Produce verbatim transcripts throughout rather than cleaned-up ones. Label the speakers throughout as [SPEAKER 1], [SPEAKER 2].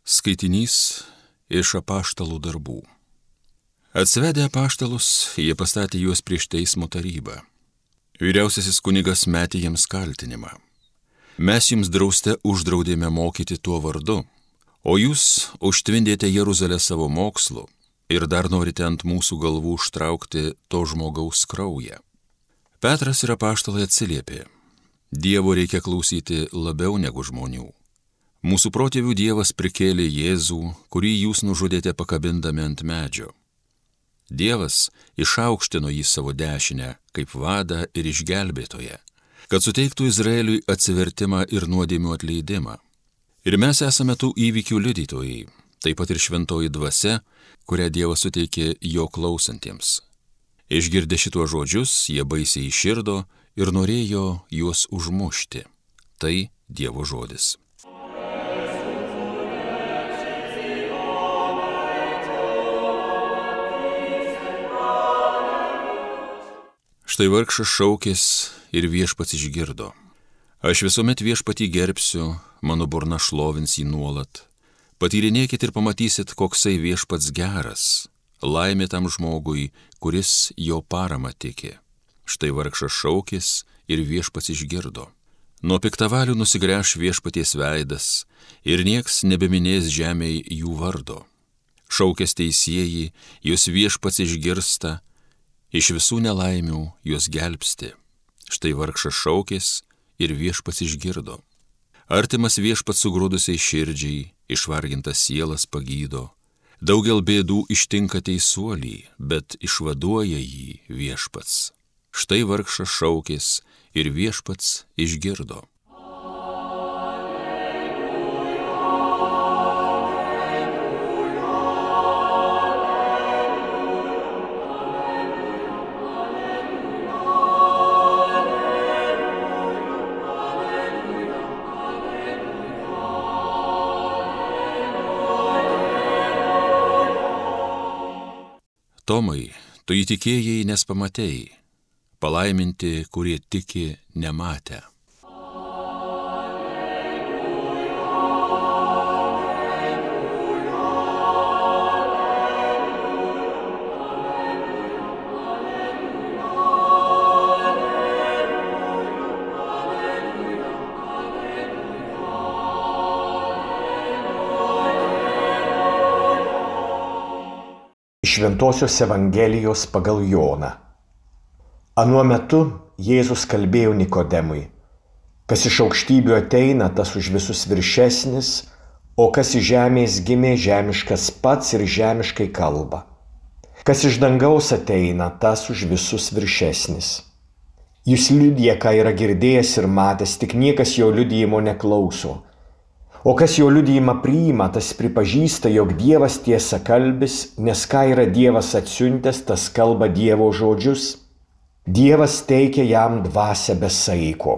[SPEAKER 1] Skaitinys iš apaštalų darbų. Atsivedę apaštalus, jie pastatė juos prieš teismo tarybą. Vyriausiasis kunigas metė jiems kaltinimą. Mes jums drauste uždraudėme mokyti tuo vardu, o jūs užtvindėte Jeruzalę savo mokslu ir dar norite ant mūsų galvų užtraukti to žmogaus kraują. Petras ir apaštalai atsiliepė: Dievo reikia klausyti labiau negu žmonių. Mūsų protėvių Dievas prikėlė Jėzų, kurį jūs nužudėte pakabindami ant medžio. Dievas išaukštino jį savo dešinę kaip vadą ir išgelbėtoją, kad suteiktų Izraeliui atsivertimą ir nuodėmių atleidimą. Ir mes esame tų įvykių liudytojai, taip pat ir šventoji dvasia, kurią Dievas suteikė jo klausantiems. Išgirdę šituos žodžius, jie baisiai iširdo ir norėjo juos užmušti. Tai Dievo žodis. Štai vargšas šaukės ir viešpats išgirdo. Aš visuomet viešpatį gerbsiu, mano burna šlovins jį nuolat. Patyrinėkit ir pamatysit, koksai viešpats geras. Laimė tam žmogui, kuris jo paramą tiki. Štai vargšas šaukės ir viešpats išgirdo. Nuo piktavalių nusigręš viešpaties veidas ir nieks nebeminės žemėj jų vardo. Šaukės teisieji, jūs viešpats išgirsta, iš visų nelaimių juos gelbsti. Štai vargšas šaukės ir viešpats išgirdo. Artimas viešpats sugrūdusiai širdžiai, išvargintas sielas pagydo. Daugel bėdų ištinka teisuolį, bet išvaduoja jį viešpats. Štai vargšas šaukės ir viešpats išgirdo. Tomai, tu įtikėjai, nes pamatei, palaiminti, kurie tiki nematę.
[SPEAKER 2] Šventosios Evangelijos pagal Joną. Anuo metu Jėzus kalbėjo Nikodemui: kas iš aukštybių ateina, tas už visus viršesnis, o kas iš žemės gimė, žemiškas pats ir žemiškai kalba. Kas iš dangaus ateina, tas už visus viršesnis. Jis liudija, ką yra girdėjęs ir matęs, tik niekas jo liudijimo neklauso. O kas jo liudijimą priima, tas pripažįsta, jog Dievas tiesa kalbis, nes ką yra Dievas atsiuntęs, tas kalba Dievo žodžius. Dievas teikia jam dvasią be saiko.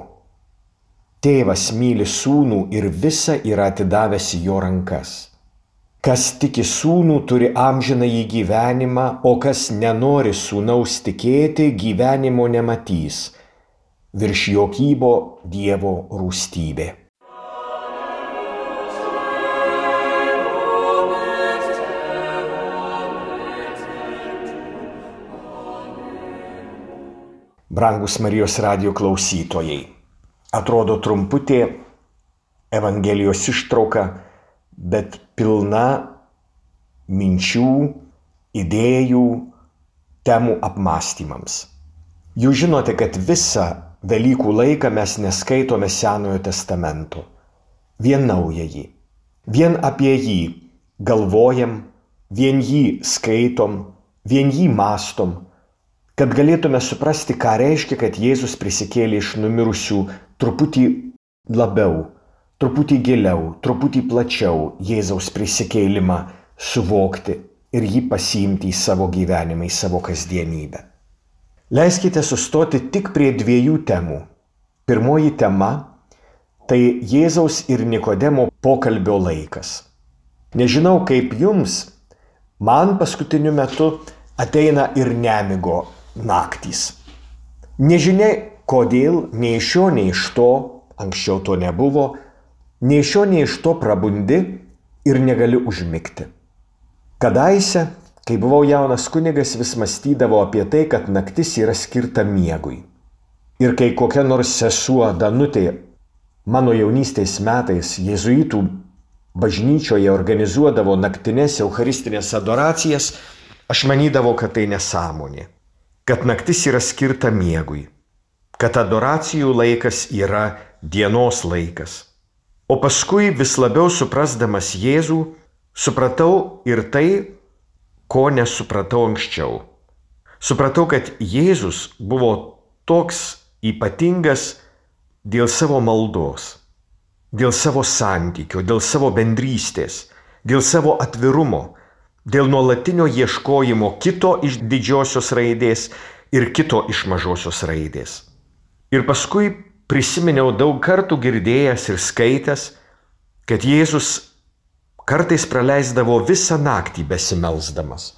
[SPEAKER 2] Tėvas myli sūnų ir visa yra atidavęs į jo rankas. Kas tiki sūnų, turi amžinąjį gyvenimą, o kas nenori sūnaus tikėti, gyvenimo nematys. Virš jo kybo Dievo rūstybė. Brangus Marijos radijo klausytojai, atrodo trumputė Evangelijos ištrauka, bet pilna minčių, idėjų, temų apmąstymams. Jūs žinote, kad visą Velykų laiką mes neskaitome Senojo testamento, vien Naująjį. Vien apie jį galvojam, vien jį skaitom, vien jį mąstom, kad galėtume suprasti, ką reiškia, kad Jėzus prisikėlė iš numirusių truputį labiau, truputį giliau, truputį plačiau Jėzaus prisikėlimą suvokti ir jį pasiimti į savo gyvenimą, į savo kasdienybę. Leiskite sustoti tik prie dviejų temų. Pirmoji tema – tai Jėzaus ir Nikodemo pokalbio laikas. Nežinau kaip jums, man paskutiniu metu ateina ir nemigo naktys. Nežinia kodėl, nei iš šio, nei iš to, anksčiau to nebuvo, nei iš šio, nei iš to prabundi ir negali užmigti. Kadaise, kai buvau jaunas kunigas, vis mąstydavau apie tai, kad naktis yra skirta miegui. Ir kai kokia nors sesuo Danutė mano jaunystės metais jėzuitų bažnyčioje organizuodavo naktinės eucharistinės adoracijas, aš manydavau, kad tai nesąmonė, kad naktis yra skirta miegui, kad adoracijų laikas yra dienos laikas. O paskui vis labiau suprasdamas Jėzų, supratau ir tai, ko nesupratau anksčiau. Supratau, kad Jėzus buvo toks ypatingas dėl savo maldos, dėl savo santykio, dėl savo bendrystės, dėl savo atvirumo, dėl nuolatinio ieškojimo kito iš didžiosios raidės ir kito iš mažosios raidės. Ir paskui prisiminiau daug kartų girdėjęs ir skaitęs, kad Jėzus kartais praleisdavo visą naktį besimelsdamas.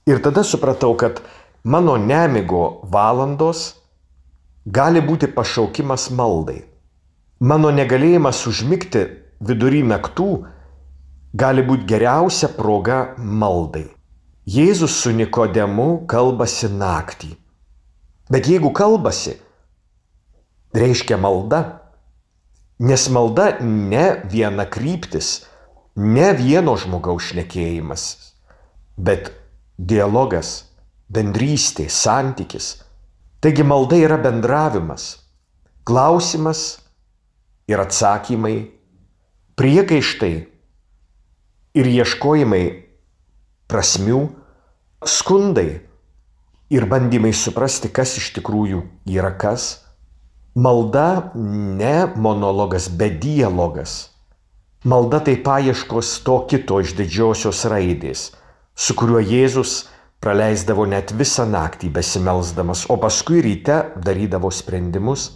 [SPEAKER 2] Ir tada supratau, kad mano nemigo valandos gali būti pašaukimas maldai. Mano negalėjimas užmigti vidury naktų gali būti geriausia proga maldai. Jėzus su Nikodemu kalbasi naktį. Bet jeigu kalbasi, reiškia malda. Nes malda ne viena kryptis, ne vieno žmogaus šnekėjimas, bet dialogas, bendrystė, santykis. Taigi malda yra bendravimas, klausimas ir atsakymai, priekaištai ir ieškojimai prasmių, skundai ir bandymai suprasti, kas iš tikrųjų yra kas. Malda ne monologas, bet dialogas. Malda tai paieškos to kito iš didžiosios raidės, su kuriuo Jėzus praleisdavo net visą naktį besimelsdamas, o paskui ryte darydavo sprendimus.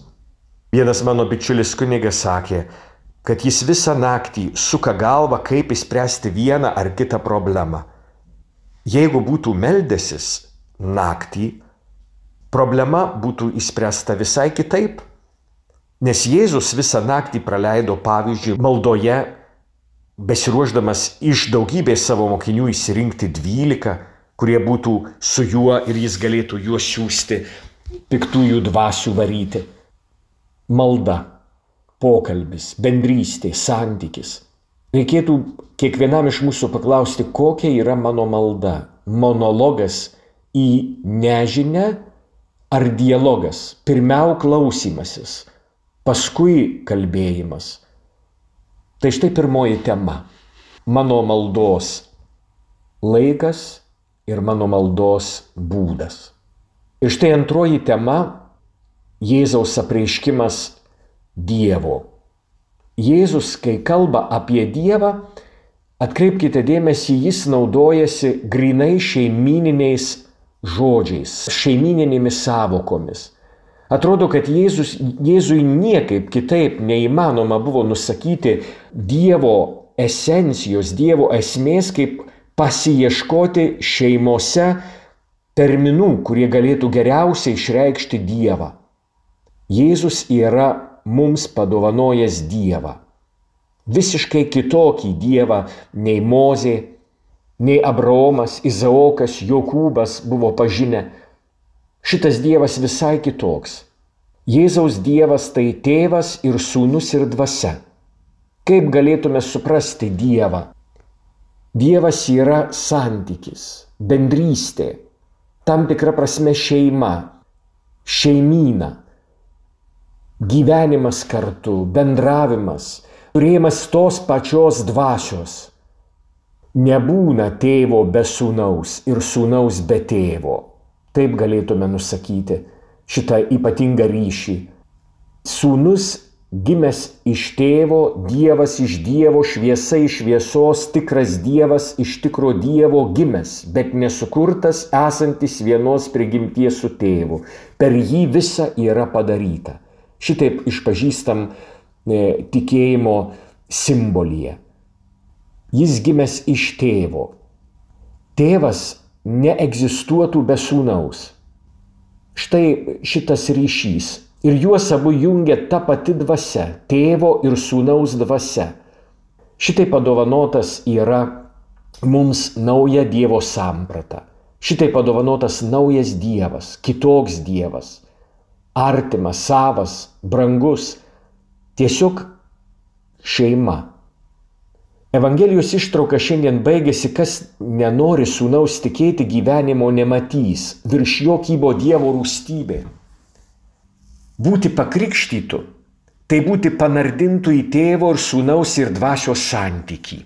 [SPEAKER 2] Vienas mano bičiulis kunigas sakė, kad jis visą naktį suka galvą, kaip išspręsti vieną ar kitą problemą. Jeigu būtų meldęsis naktį, problema būtų išspręsta visai kitaip. Nes Jėzus visą naktį praleido, pavyzdžiui, maldoje, besiruošdamas iš daugybės savo mokinių išsirinkti dvylika, kurie būtų su juo ir jis galėtų juos siųsti, piktųjų dvasių varyti. Malda, pokalbis, bendrystė, santykis. Reikėtų kiekvienam iš mūsų paklausti, kokia yra mano malda. Monologas į nežinią ar dialogas? Pirmiau klausymasis, paskui kalbėjimas. Tai štai pirmoji tema. Mano maldos laikas ir mano maldos būdas. Ir štai antroji tema – Jėzaus apreiškimas Dievo. Jėzus, kai kalba apie Dievą, atkreipkite dėmesį, jis naudojasi grynai šeimyniniais žodžiais, šeimyninėmis sąvokomis. Atrodo, kad Jėzus, Jėzui niekaip kitaip neįmanoma buvo nusakyti Dievo esencijos, Dievo esmės, kaip pasiieškoti šeimose terminų, kurie galėtų geriausiai išreikšti Dievą. Jėzus yra mums padovanojęs Dievą. Visiškai kitokį Dievą nei Mozė, nei Abraomas, Izaokas, Jokūbas buvo pažinę. Šitas Dievas visai kitoks. Jėzaus Dievas tai tėvas ir sūnus ir dvasia. Kaip galėtume suprasti Dievą? Dievas yra santykis, bendrystė, tam tikra prasme šeima, šeimyna, gyvenimas kartu, bendravimas, turėjimas tos pačios dvasios. Nebūna tėvo be sūnaus ir sūnaus be tėvo. Taip galėtume nusakyti šitą ypatingą ryšį. Sūnus gimęs iš tėvo, Dievas iš Dievo, šviesa iš šviesos, tikras Dievas iš tikro Dievo gimęs, bet nesukurtas, esantis vienos prigimties su tėvu. Per jį visa yra padaryta. Šitaip išpažįstam e, tikėjimo simbolyje. Jis gimęs iš tėvo. Tėvas neegzistuotų be sūnaus. Štai šitas ryšys. Ir juos abu jungia ta pati dvasia, tėvo ir sūnaus dvasia. Šitai padovanotas yra mums nauja Dievo samprata. Šitai padovanotas naujas Dievas, kitoks Dievas, artimas, savas, brangus, tiesiog šeima. Evangelijos ištrauka šiandien baigėsi, kas nenori sūnaus tikėti, gyvenimo nematys, virš jo kybo Dievo rūstybė. Būti pakrikštytu, tai būti panardintų į tėvo ir sūnaus ir dvasios santykį.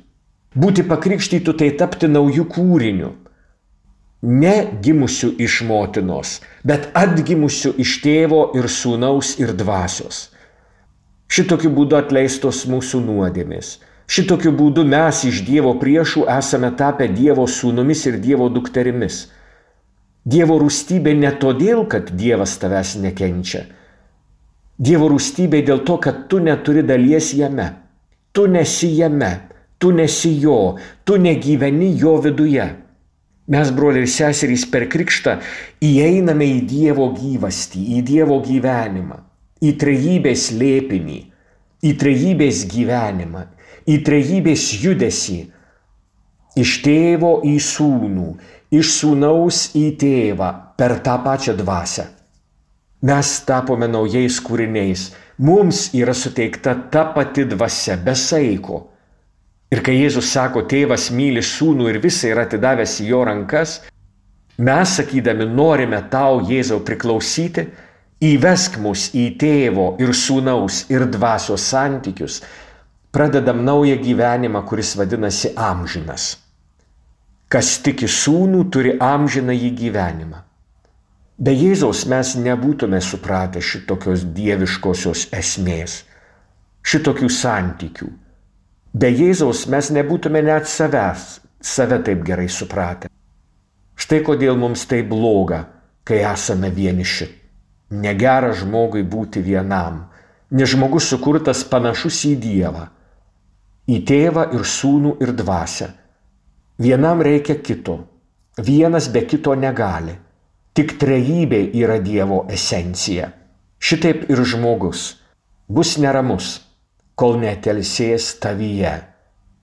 [SPEAKER 2] Būti pakrikštytu, tai tapti naujų kūrinių. Ne gimusių iš motinos, bet atgimusių iš tėvo ir sūnaus ir dvasios. Šitokiu būdu atleistos mūsų nuodėmės. Šitokiu būdu mes iš Dievo priešų esame tapę Dievo sūnumis ir Dievo dukterimis. Dievo rūstybė ne todėl, kad Dievas tavęs nekenčia. Dievo rūstybė dėl to, kad tu neturi dalies jame. Tu nesi jame, tu nesi jo, tu negyveni jo viduje. Mes, broliai ir seserys, per krikštą įeiname į Dievo gyvastį, į Dievo gyvenimą, į trejybės slėpinį, į trejybės gyvenimą, į trejybės judesį, iš tėvo į sūnų, iš sūnaus į tėvą per tą pačią dvasią. Mes tapome naujais kūriniais, mums yra suteikta ta pati dvasia, be saiko. Ir kai Jėzus sako, tėvas myli sūnų ir visą yra atidavęs į jo rankas, mes, sakydami, norime tau, Jėzau, priklausyti, įvesk mus į tėvo ir sūnaus ir dvasios santykius, pradedam naują gyvenimą, kuris vadinasi amžinas. Kas tiki sūnų, turi amžiną į gyvenimą. Be Jėzaus mes nebūtume supratę šitokios dieviškosios esmės, šitokių santykių. Be Jėzaus mes nebūtume net savęs, save taip gerai supratę. Štai kodėl mums tai bloga, kai esame vieniši. Negera žmogui būti vienam, nes žmogus sukurtas panašus į Dievą, į tėvą ir sūnų ir dvasią. Vienam reikia kito, vienas be kito negali. Tik trejybė yra Dievo esencija. Šitaip ir žmogus bus neramus, kol netelsės tavyje,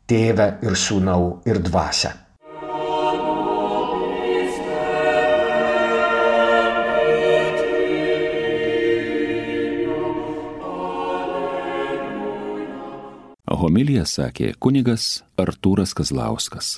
[SPEAKER 2] tėve ir sūnau ir dvasia.
[SPEAKER 1] Homiliją sakė kunigas Artūras Kazlauskas.